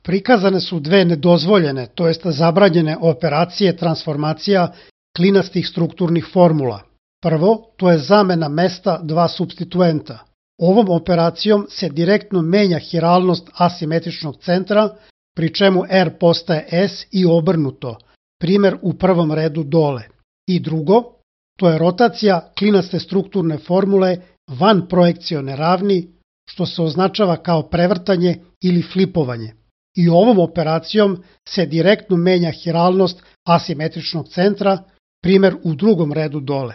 Prikazane su dve nedozvoljene, to jest zabranjene operacije transformacija klinastih strukturnih formula. Prvo, to je zamena mesta dva supstituenta. Ovom operacijom se direktno menja hiralnost asimetričnog centra, pri čemu R postaje S i obrnuto, primer u prvom redu dole. I drugo, to je rotacija klinaste strukturne formule van projekcione ravni, što se označava kao prevrtanje ili flipovanje. I ovom operacijom se direktno menja hiralnost asimetričnog centra, primer u drugom redu dole.